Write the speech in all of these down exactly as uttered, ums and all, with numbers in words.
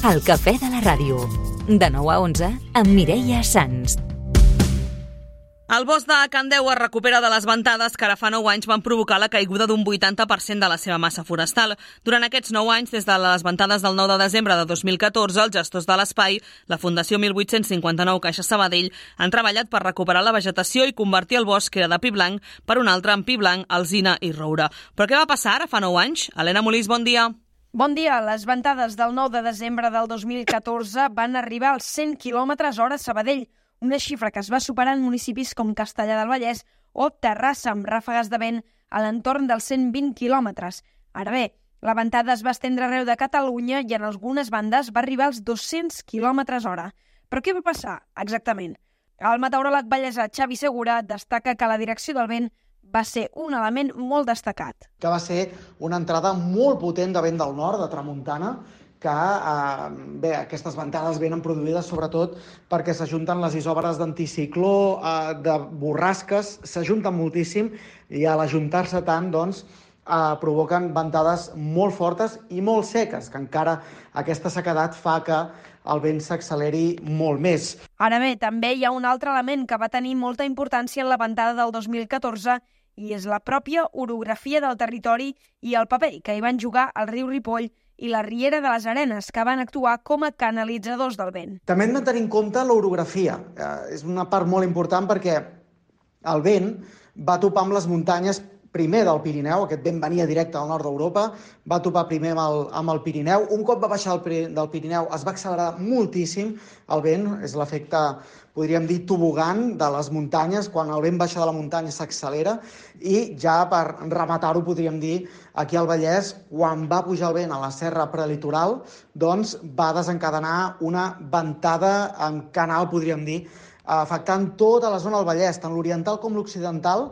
El cafè de la ràdio. De nou a onze, amb Mireia Sans. El bosc de Can Deu es recupera de les ventades que ara fa nou anys van provocar la caiguda d'un vuitanta per cent de la seva massa forestal. Durant aquests nou anys, des de les ventades del nou de desembre de dos mil catorze, els gestors de l'espai, la Fundació mil vuit-cents cinquanta-nou Caixa Sabadell, han treballat per recuperar la vegetació i convertir el bosc, que era de pi blanc, per un altre en pi blanc, alzina i roure. Però què va passar ara fa nou anys? Helena Molís, bon dia. Bon dia. Les ventades del nou de desembre del dos mil catorze van arribar als cent quilòmetres hora a Sabadell, una xifra que es va superar en municipis com Castellar del Vallès o Terrassa, amb ràfegues de vent a l'entorn dels cent vint quilòmetres. Ara bé, la ventada es va estendre arreu de Catalunya i en algunes bandes va arribar als dos-cents quilòmetres hora. Però què va passar exactament? El meteoròleg vallesà Xavi Segura destaca que la direcció del vent va ser un element molt destacat. Que va ser una entrada molt potent de vent del nord, de tramuntana, que eh, bé, aquestes ventades venen produïdes sobretot perquè s'ajunten les isòbares d'anticicló, eh, de borrasques, s'ajunten moltíssim i a l'ajuntar-se tant, doncs, eh, provoquen ventades molt fortes i molt seques, que encara aquesta sequedat fa que el vent s'acceleri molt més. Ara bé, també hi ha un altre element que va tenir molta importància en la ventada del dos mil catorze i és la pròpia orografia del territori i el paper que hi van jugar el riu Ripoll i la Riera de les Arenes, que van actuar com a canalitzadors del vent. També hem de tenir en compte l'orografia. Eh, és una part molt important perquè el vent va topar amb les muntanyes primer del Pirineu, aquest vent venia directe del nord d'Europa, va topar primer amb el, amb el Pirineu. Un cop va baixar el, del Pirineu es va accelerar moltíssim el vent, és l'efecte, podríem dir, tobogan de les muntanyes, quan el vent baixa de la muntanya s'accelera, i ja per rematar-ho podríem dir, aquí al Vallès, quan va pujar el vent a la serra prelitoral, doncs va desencadenar una ventada en canal, podríem dir, afectant tota la zona del Vallès, tant l'oriental com l'occidental.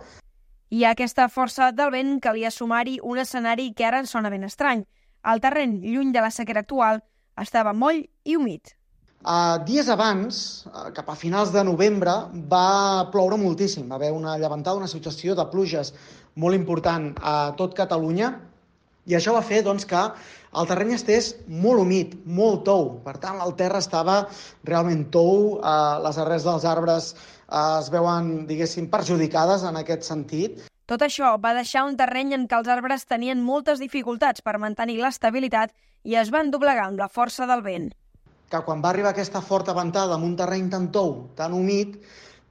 I a aquesta força del vent calia sumar-hi un escenari que ara ens sona ben estrany. El terreny, lluny de la sequera actual, estava moll i humit. Uh, dies abans, uh, cap a finals de novembre, va ploure moltíssim. Va haver una llevantada, una situació de pluges molt important a tot Catalunya, i això va fer doncs, que el terreny estés molt humit, molt tou. Per tant, el terra estava realment tou, uh, les arrels dels arbres es veuen, diguéssim, perjudicades en aquest sentit. Tot això va deixar un terreny en què els arbres tenien moltes dificultats per mantenir l'estabilitat i es van doblegar amb la força del vent. Que quan va arribar aquesta forta ventada en un terreny tan tou, tan humit,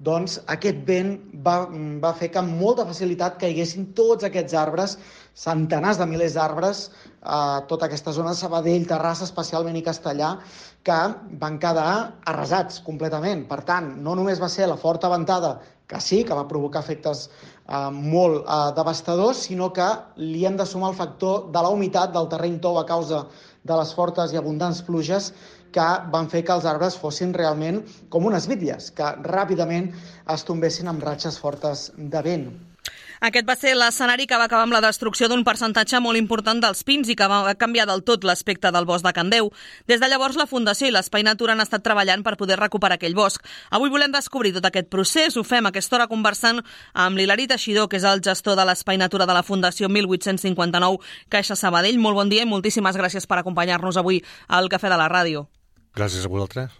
doncs aquest vent va, va fer que amb molta facilitat caiguessin tots aquests arbres, centenars de milers d'arbres, a tota aquesta zona de Sabadell, Terrassa especialment i Castellar, que van quedar arrasats completament. Per tant, no només va ser la forta ventada, que sí, que va provocar efectes eh, molt eh, devastadors, sinó que li hem de sumar el factor de la humitat del terreny tou a causa de les fortes i abundants pluges que van fer que els arbres fossin realment com unes bitlles, que ràpidament es tombessin amb ratxes fortes de vent. Aquest va ser l'escenari que va acabar amb la destrucció d'un percentatge molt important dels pins i que va canviar del tot l'aspecte del bosc de Can Deu. Des de llavors, la Fundació i l'Espai Natura han estat treballant per poder recuperar aquell bosc. Avui volem descobrir tot aquest procés. Ho fem a aquesta hora conversant amb l'Hilari Teixidor, que és el gestor de l'Espai Natura de la Fundació mil vuit-cents cinquanta-nou Caixa Sabadell. Molt bon dia i moltíssimes gràcies per acompanyar-nos avui al Cafè de la Ràdio. Gràcies a vosaltres.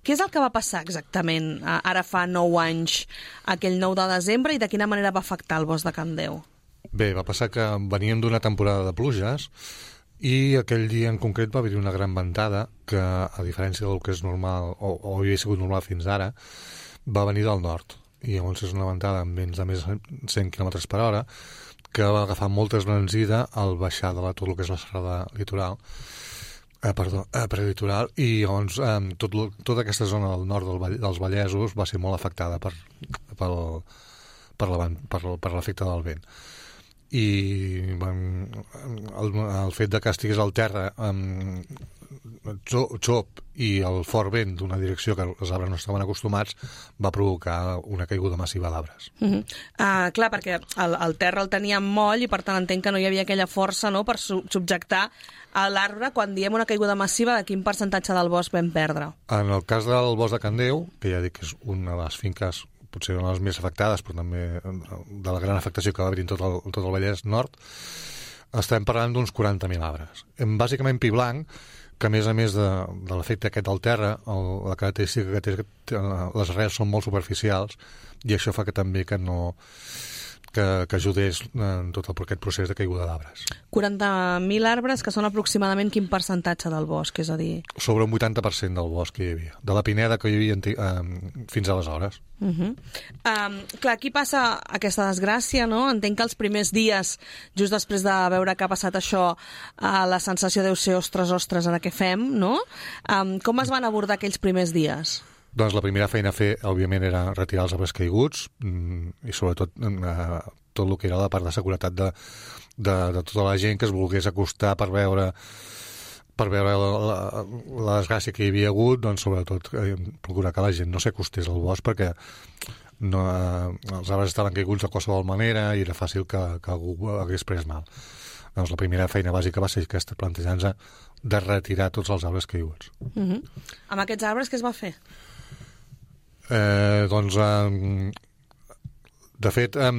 Què és el que va passar exactament ara fa nou anys, aquell nou de desembre, i de quina manera va afectar el bosc de Can Deu? Bé, va passar que veníem d'una temporada de pluges i aquell dia en concret va haver-hi una gran ventada que, a diferència del que és normal o, o havia sigut normal fins ara, va venir del nord. I llavors és una ventada amb vents de més de cent quilòmetres per hora que va agafar molta esbranzida al baixar de la, tot el que és la serrada litoral, Eh, perdó, eh, prelitoral, i llavors eh, tot, tota aquesta zona del nord del Vall, dels Vallesos va ser molt afectada per, per, per, la, per, per l'efecte del vent. I van, el, el fet de que estigués al terra eh, xop i el fort vent d'una direcció que els arbres no estaven acostumats va provocar una caiguda massiva d'arbres. Uh -huh. uh, clar, perquè el, el terra el tenia moll i per tant entenc que no hi havia aquella força, no?, per su subjectar a l'arbre. Quan diem una caiguda massiva, de quin percentatge del bosc vam perdre? En el cas del bosc de Can Deu, que ja dic que és una de les finques potser una de les més afectades, però també de la gran afectació que va haver-hi en tot el, tot el Vallès Nord, estem parlant d'uns quaranta mil arbres. Bàsicament pi blanc, que a més a més de, de l'efecte aquest del terra, el, la característica que té, que les arrels són molt superficials i això fa que també que no que, que ajudés en tot el, aquest procés de caiguda d'arbres. quaranta mil arbres, que són aproximadament quin percentatge del bosc, és a dir... Sobre un vuitanta per cent del bosc que hi havia, de la pineda que hi havia eh, fins aleshores. Uh -huh. um, clar, aquí passa aquesta desgràcia, no? Entenc que els primers dies, just després de veure que ha passat això, uh, la sensació deu ser ostres, ostres, ara què fem, no? Um, com es van abordar aquells primers dies? Doncs la primera feina a fer, òbviament, era retirar els arbres caiguts i sobretot eh, tot el que era la part de seguretat de, de, de tota la gent que es volgués acostar per veure per veure la, la, la desgràcia que hi havia hagut, doncs sobretot eh, procurar que la gent no s'acostés al bosc perquè no, eh, els arbres estaven caiguts de qualsevol manera i era fàcil que, que algú hagués pres mal. Doncs la primera feina bàsica va ser aquesta, plantejant-se de retirar tots els arbres caiguts. Uh -huh. Amb aquests arbres què es va fer? Eh, doncs, eh, de fet, eh,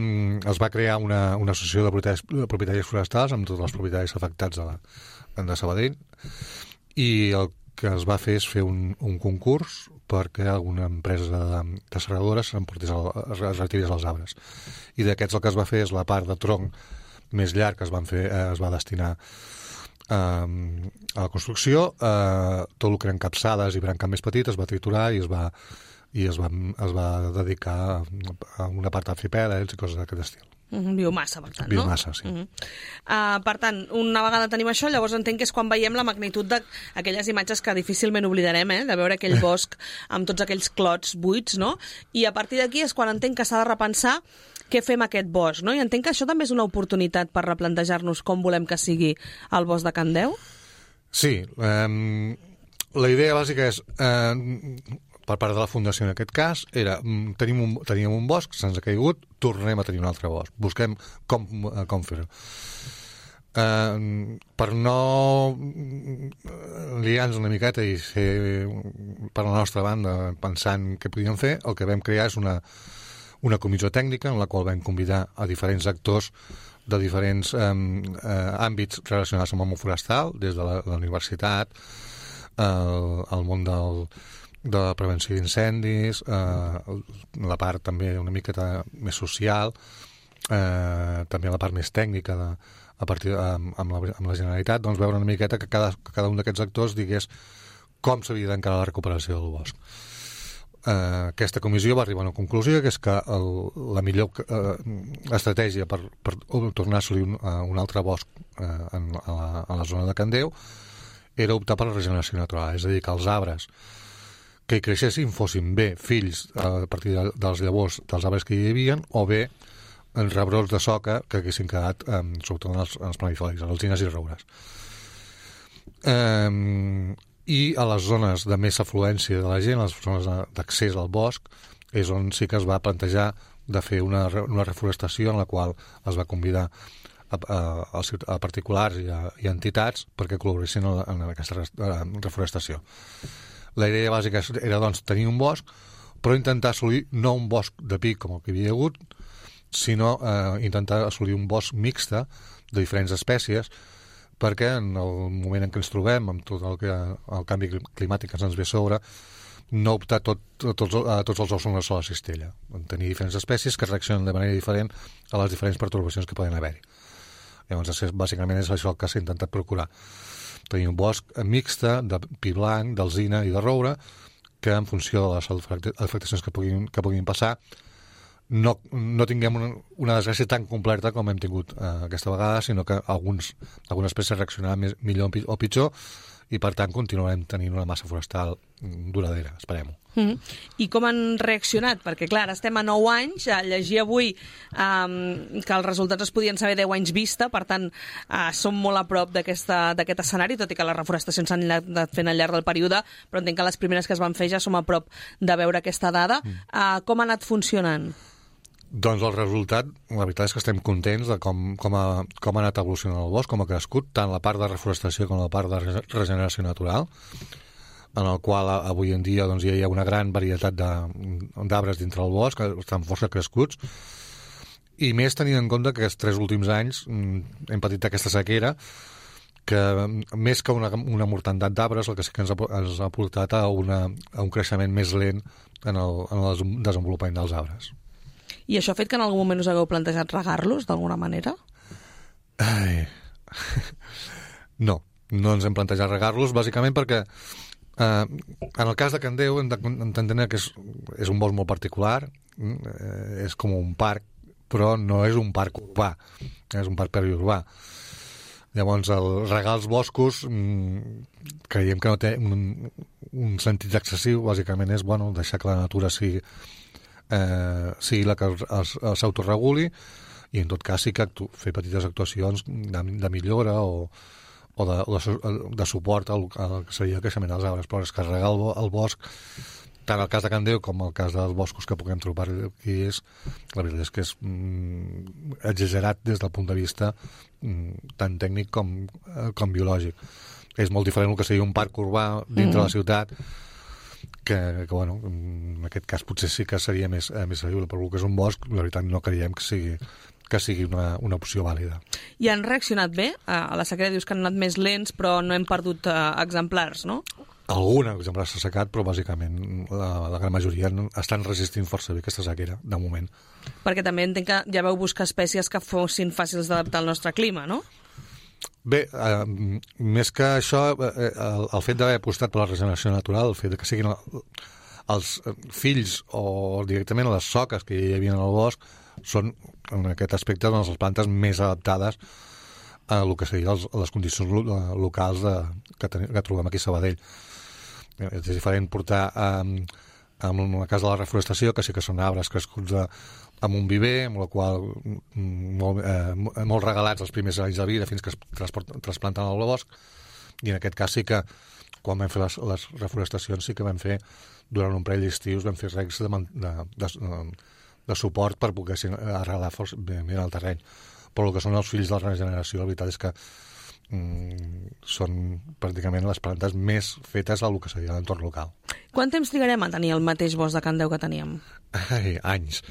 es va crear una, una associació de propietaris, de propietaris forestals amb tots els propietaris afectats de, la, de Sabadell i el que es va fer és fer un, un concurs perquè alguna empresa de, de serradores s'emportés es retirés els arbres. I d'aquests el que es va fer és la part de tronc més llarg que es, van fer, eh, es va destinar eh, a la construcció, eh, tot el que eren capçades i branques més petites es va triturar i es va i es va, es va dedicar a una part d'arxipèlags i coses d'aquest estil. Uh-huh, biomassa, per tant, biomassa, no? sí. Uh-huh. uh, per tant, una vegada tenim això, llavors entenc que és quan veiem la magnitud d'aquelles imatges que difícilment oblidarem, eh? De veure aquell bosc amb tots aquells clots buits, no? I a partir d'aquí és quan entenc que s'ha de repensar què fem aquest bosc, no? I entenc que això també és una oportunitat per replantejar-nos com volem que sigui el bosc de Can Deu? Sí. Eh, la idea bàsica és... Eh, per part de la Fundació en aquest cas, era tenim un, teníem un bosc, se'ns ha caigut, tornem a tenir un altre bosc. Busquem com, com fer-ho. Uh, per no liar-nos una miqueta i ser per la nostra banda pensant què podíem fer, el que vam crear és una, una comissió tècnica en la qual vam convidar a diferents actors de diferents um, uh, àmbits relacionats amb el món forestal, des de la, la universitat, uh, el món del de la prevenció d'incendis, eh, la part també una miqueta més social, eh, també la part més tècnica de, a partir de, amb, amb, la, amb la Generalitat, doncs veure una miqueta que cada, que cada un d'aquests actors digués com s'havia d'encarar la recuperació del bosc. Eh, aquesta comissió va arribar a una conclusió, que és que el, la millor eh, estratègia per, per tornar a assolir un, un altre bosc eh, en, a, la, a la zona de Can Deu era optar per la regeneració natural, és a dir, que els arbres que hi creixessin fossin bé fills a partir de, dels llavors dels arbres que hi havia o bé en rebrots de soca que haguessin quedat eh, sobretot en els, en els planifolis, en alzines i roures. Eh, I a les zones de més afluència de la gent, les zones d'accés al bosc, és on sí que es va plantejar de fer una, una reforestació en la qual es va convidar a, a, a particulars i a, i a entitats perquè col·laboressin en, en aquesta reforestació. La idea bàsica era, doncs, tenir un bosc, però intentar assolir no un bosc de pic com el que hi havia hagut, sinó eh, intentar assolir un bosc mixte de diferents espècies, perquè en el moment en què ens trobem, amb tot el, que, el canvi climàtic que ens ve sobre, no optar tot, tots, a tots els ous en una sola cistella. Tenir diferents espècies que reaccionen de manera diferent a les diferents pertorbacions que poden haver-hi. Llavors, bàsicament és això el que s'ha intentat procurar. Tenir un bosc mixte de pi blanc, d'alzina i de roure, que en funció de les afectacions que puguin, que puguin passar no, no tinguem una, una desgràcia tan completa com hem tingut eh, aquesta vegada, sinó que alguns, algunes espècies reaccionaran més, millor o pitjor i per tant continuarem tenint una massa forestal duradera, esperem-ho. Mm. I com han reaccionat? Perquè, clar, ara estem a nou anys, a llegir avui um, que els resultats es podien saber deu anys vista, per tant, uh, som molt a prop d'aquest escenari, tot i que les reforestacions s'han anat fent al llarg del període, però entenc que les primeres que es van fer ja som a prop de veure aquesta dada. Mm. Uh, com ha anat funcionant? Doncs el resultat, la veritat és que estem contents de com, com, ha, com ha anat evolucionant el bosc, com ha crescut, tant la part de reforestació com la part de regeneració natural, en el qual avui en dia doncs, ja hi ha una gran varietat d'arbres dintre el bosc, que estan força crescuts, i més tenint en compte que aquests tres últims anys hem patit aquesta sequera, que més que una, una mortandat d'arbres, el que sí que ens ha, ens ha portat a, una, a un creixement més lent en el, en el desenvolupament dels arbres. I això ha fet que en algun moment us hagueu plantejat regar-los, d'alguna manera? Ai. No, no ens hem plantejat regar-los, bàsicament perquè eh, en el cas de Can Déu hem d'entendre que és, és un bosc molt particular, eh, és com un parc, però no és un parc urbà, és un parc periurbà. Llavors, el regar els boscos mmm, creiem que no té un, un sentit excessiu, bàsicament és bueno, deixar que la natura sigui, eh, sigui la que s'autoreguli, i en tot cas sí que actu fer petites actuacions de, de millora o, o, de, o de, de suport al, al que seria el creixement dels arbres, però és que regar el, el bosc, tant el cas de Can Déu com el cas dels boscos que puguem trobar aquí, és, la veritat és que és mm, exagerat des del punt de vista mm, tant tècnic com, eh, com biològic. És molt diferent el que seria un parc urbà dintre mm. de la ciutat, que, que bueno, en aquest cas potser sí que seria més, eh, més seriós, però el que és un bosc, la veritat no creiem que sigui que sigui una, una opció vàlida. I han reaccionat bé? A la sequera dius que han anat més lents, però no hem perdut uh, exemplars, no? Algun exemplar s'ha secat, però bàsicament la, la gran majoria estan resistint força bé aquesta sequera, de moment. Perquè també entenc que ja veu buscar espècies que fossin fàcils d'adaptar al nostre clima, no? Bé, eh, més que això, eh, el, el fet d'haver apostat per la regeneració natural, el fet que siguin els fills o directament les soques que hi havia en el bosc, són, en aquest aspecte, doncs, les plantes més adaptades a el que serien les, les condicions locals de, que, ten, que trobem aquí a Sabadell. És diferent portar um, en el cas de la reforestació, que sí que són arbres crescuts de, amb un viver, amb el qual molt, eh, molt regalats els primers anys de vida fins que es trasplanten al bosc, i en aquest cas sí que quan vam fer les, les reforestacions sí que vam fer durant un parell d'estius vam fer regs de, de, de, de, de suport per poder arrelar bé, bé el terreny. Però el que són els fills de la regeneració, la veritat és que mm, són pràcticament les plantes més fetes al que seria l'entorn local. Quant temps trigarem a tenir el mateix bosc de Can Déu que teníem? Ai, anys.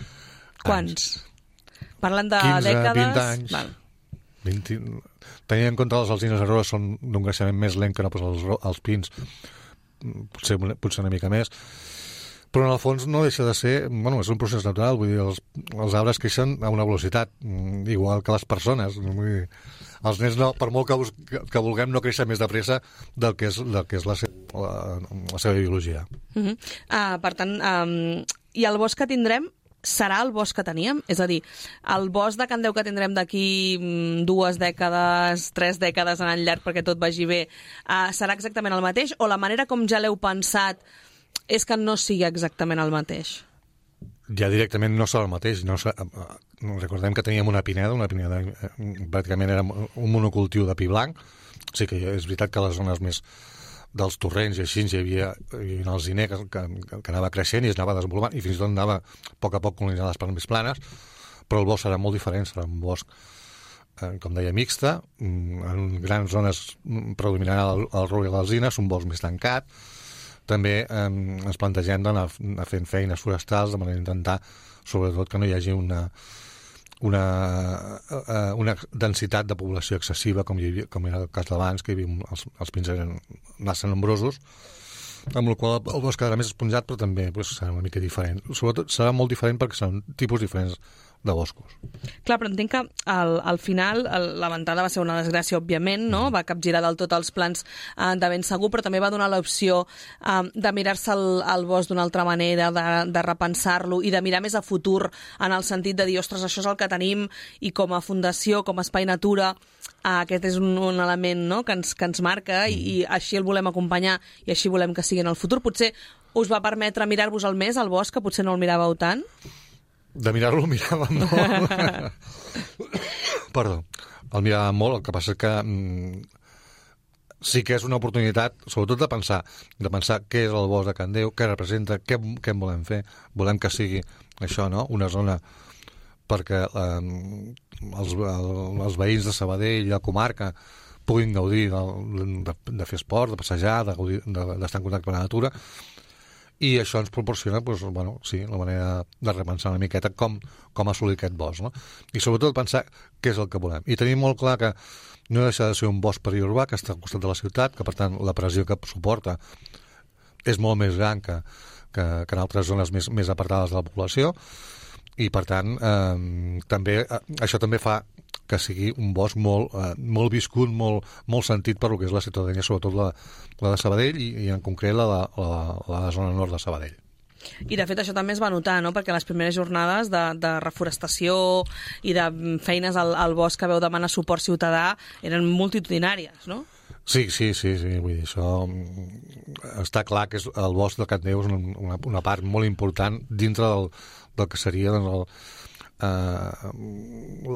Quants? Anys. Parlant de quinze, dècades... vint anys. Val. vint Tenint en compte les alzines arroses són d'un creixement més lent que no pas els, els pins, potser, potser una mica més, però en el fons no deixa de ser, bueno, és un procés natural, vull dir, els, els arbres creixen a una velocitat, igual que les persones, vull dir, els nens no, per molt que, bus, que, que vulguem no créixer més de pressa del que és, del que és la, seva, la, la seva biologia. Uh -huh. uh, per tant, um, i el bosc que tindrem serà el bosc que teníem? És a dir, el bosc de Can Déu que tindrem d'aquí dues dècades, tres dècades en el llarg perquè tot vagi bé, uh, serà exactament el mateix? O la manera com ja l'heu pensat és que no sigui exactament el mateix? Ja directament no serà el mateix. No serà, recordem que teníem una pineda, una pineda eh, pràcticament era un monocultiu de pi blanc. Sí que és veritat que les zones més dels torrents i així hi havia, hi havia el ziner que, que, que anava creixent i es anava desenvolupant i fins i tot anava a poc a poc colonitzant les parts més planes, però el bosc serà molt diferent, serà un bosc, eh, com deia, mixta, en grans zones predominarà el, el roure i l'alzina, és un bosc més tancat. També eh, ens plantegem d'anar fent feines forestals de manera d'intentar, sobretot, que no hi hagi una, una, eh, una densitat de població excessiva, com, hi havia, com era el cas d'abans, que hi havia, els, els pins eren massa nombrosos, amb la qual el bosc quedarà més esponjat, però també pues, serà una mica diferent. Sobretot serà molt diferent perquè són tipus diferents de boscos. Clar, però entenc que al, al final el, la ventada va ser una desgràcia, òbviament, no? Va capgirar del tot els plans eh, de ben segur, però també va donar l'opció eh, de mirar-se el, el bosc d'una altra manera, de, de repensar-lo i de mirar més a futur en el sentit de dir, ostres, això és el que tenim i com a fundació, com a espai natura, eh, aquest és un, un element, no?, que ens, que ens marca mm. i, i així el volem acompanyar i així volem que sigui en el futur. Potser us va permetre mirar-vos el més, al bosc, que potser no el miràveu tant? De mirar-lo el miràvem molt. Perdó. El miràvem molt, el que passa és que mm, sí que és una oportunitat, sobretot de pensar, de pensar què és el bosc de Can Déu, què representa, què, què en volem fer. Volem que sigui això, no?, una zona perquè eh, els, el, els veïns de Sabadell i la comarca puguin gaudir de, de, de fer esport, de passejar, de gaudir, de, d'estar en contacte amb la natura, i això ens proporciona, doncs, bueno, sí, la manera de repensar una miqueta com, com assolir aquest bosc, no? I sobretot pensar què és el que volem. I tenim molt clar que no deixa de ser un bosc periurbà que està al costat de la ciutat, que per tant la pressió que suporta és molt més gran que, que, que en altres zones més, més apartades de la població, i per tant eh, també, eh, això també fa que sigui un bosc molt, eh, molt viscut, molt, molt sentit per lo que és la ciutadania, sobretot la, la de Sabadell i, i en concret la, la, la, la zona nord de Sabadell. I de fet això també es va notar, no? Perquè les primeres jornades de, de reforestació i de feines al, al bosc que veu demanar suport ciutadà eren multitudinàries, no? Sí, sí, sí, sí, vull dir, això està clar que és, el bosc de Candeu és una, una part molt important dintre del, del que seria doncs, el, eh,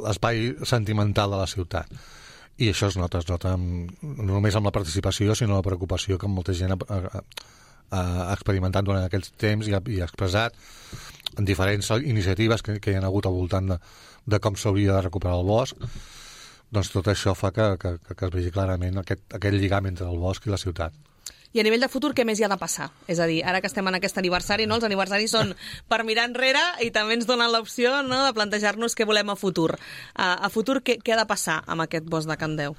l'espai sentimental de la ciutat. I això es nota, es nota amb, no només amb la participació, sinó la preocupació que molta gent ha, ha, ha experimentat durant aquests temps i ha, i ha expressat en diferents iniciatives que, que hi ha hagut al voltant de, de com s'hauria de recuperar el bosc. Doncs tot això fa que, que, que es vegi clarament aquest, aquest lligam entre el bosc i la ciutat. I a nivell de futur, què més hi ha de passar? És a dir, ara que estem en aquest aniversari, no? Els aniversaris són per mirar enrere i també ens donen l'opció, no?, de plantejar-nos què volem a futur. A, a futur, què, què ha de passar amb aquest bosc de Candeu?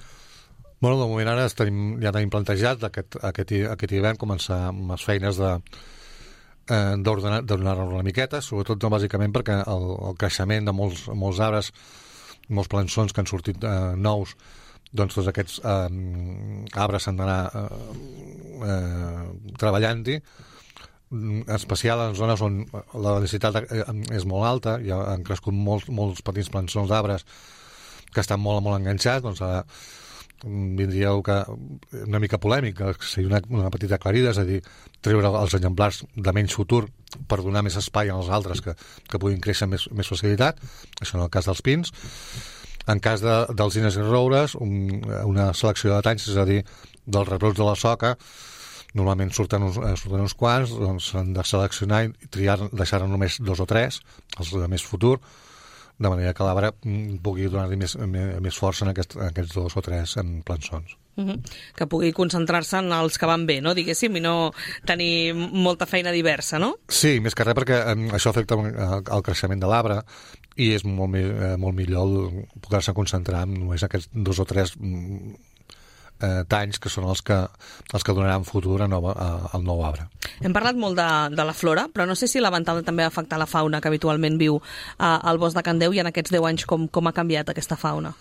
Bueno, de moment ara tenim, ja tenim plantejat aquest, aquest, aquest hivern començar amb les feines de eh, d'ordenar-lo una miqueta, sobretot no, bàsicament perquè el, el creixement de molts, molts arbres, molts plançons que han sortit eh, nous, doncs tots aquests eh, arbres s'han d'anar eh, eh, treballant-hi, en especial en zones on la densitat és molt alta, ja han crescut molts, molts petits plançons d'arbres que estan molt, molt enganxats, doncs ara vindria que una mica polèmic, que seria una, una petita aclarida, és a dir, treure els exemplars de menys futur per donar més espai als altres que, que puguin créixer amb més, més facilitat, això en el cas dels pins. En cas de, dels alzines i roures, un, una selecció de talls, és a dir, dels rebrots de la soca, normalment surten uns, surten uns quants, doncs s'han de seleccionar i triar, deixar només dos o tres, els de més futur, de manera que l'arbre pugui donar-li més, més força en, aquest, en aquests dos o tres en plançons. Uh-huh. Que pugui concentrar-se en els que van bé, no? Diguéssim, i no tenir molta feina diversa, no? Sí, més que res perquè um, això afecta el creixement de l'arbre i és molt, eh, molt millor poder-se concentrar en només aquests dos o tres mm, eh, talls que són els que, els que donaran futur a nova, a, al nou arbre. Hem parlat molt de, de la flora, però no sé si la ventada també ha afectat la fauna que habitualment viu eh, al bosc de Candeu i en aquests deu anys com, com ha canviat aquesta fauna.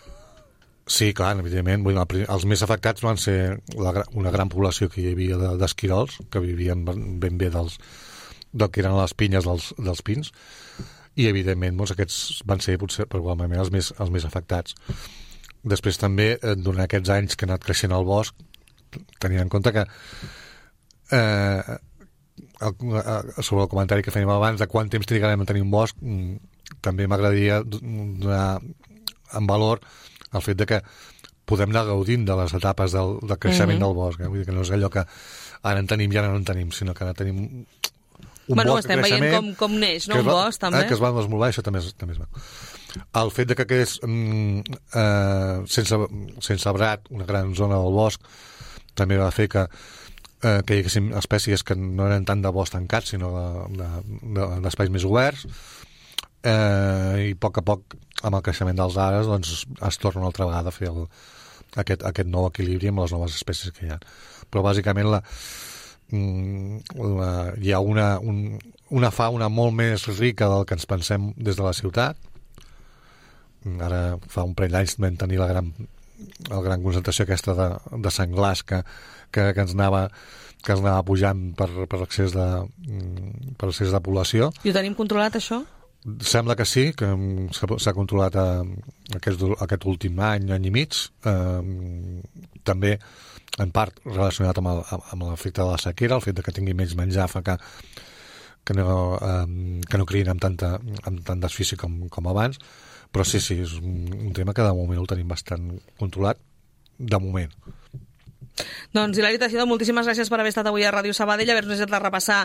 Sí, clar, evidentment. Els més afectats van ser la, una gran població que hi havia d'esquirols, que vivien ben bé dels, del que eren les pinyes dels, dels pins, i evidentment doncs, aquests van ser potser probablement els més, els més afectats. Després també, durant aquests anys que ha anat creixent el bosc, tenint en compte que eh, el, sobre el comentari que fèiem abans de quant temps trigarem a tenir un bosc, també m'agradaria donar en valor el fet de que podem anar gaudint de les etapes del, del creixement mm-hmm. del bosc. Eh? Vull dir que no és allò que ara en tenim i ara no en tenim, sinó que ara tenim un bueno, bosc de creixement... Estem veient com, com neix, no? Un va, bosc, també. Eh, que es va desenvolupar, això també és, també és maco. El fet de que quedés mm, eh, sense, sense arbrat una gran zona del bosc també va fer que eh, que hi haguessin espècies que no eren tant de bosc tancat, sinó d'espais de, de, més oberts, eh, i a poc a poc amb el creixement dels arbres doncs, es torna una altra vegada a fer el, aquest, aquest nou equilibri amb les noves espècies que hi ha. Però bàsicament la, la, hi ha una, un, una fauna molt més rica del que ens pensem des de la ciutat. Ara fa un parell d'anys vam tenir la gran, la gran concentració aquesta de, de senglars que, que, que ens anava que ens anava pujant per, per l'excés de, per l'excés de població. I ho tenim controlat, això? Sembla que sí, que s'ha controlat a, aquest, aquest últim any, any i mig, eh, també en part relacionat amb, el, amb l'efecte de la sequera, el fet de que tingui menys menjar fa que, que, no, eh, que no criïn amb, tanta, amb tant desfici com, com abans, però sí, sí, és un, un tema que de moment el tenim bastant controlat, de moment. Doncs Hilari Teixidó, moltíssimes gràcies per haver estat avui a Ràdio Sabadell, haver-nos de repassar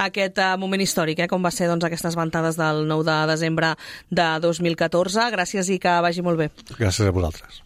aquest uh, moment històric, eh, com va ser doncs, aquestes ventades del nou de desembre de dos mil catorze. Gràcies i que vagi molt bé. Gràcies a vosaltres.